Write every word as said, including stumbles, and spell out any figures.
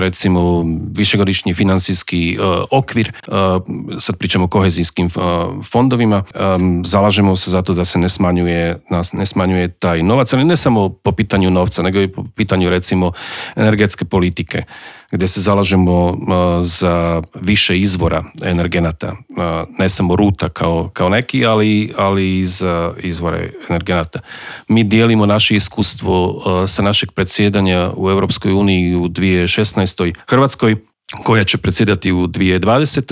recimo višegodišnji financijski uh, okvir, uh, sad pričamo o kohezijskim uh, fondovima, um, zalažemo se za to da se ne smanjuje, ne smanjuje taj novac, ali ne samo po pitanju novca, nego i po pitanju recimo energetske politike, gdje se zalažemo uh, za više izvora energenata, uh, ne samo ruta kao, kao neki, ali, ali i za izvore energenata. Mi dijelimo naše iskustvo uh, sa našeg predsjedanja u Europskoj uniji u dvije tisuće šesnaestoj Hrvatskoj, koja će predsjedati u dvije tisuće dvadesetoj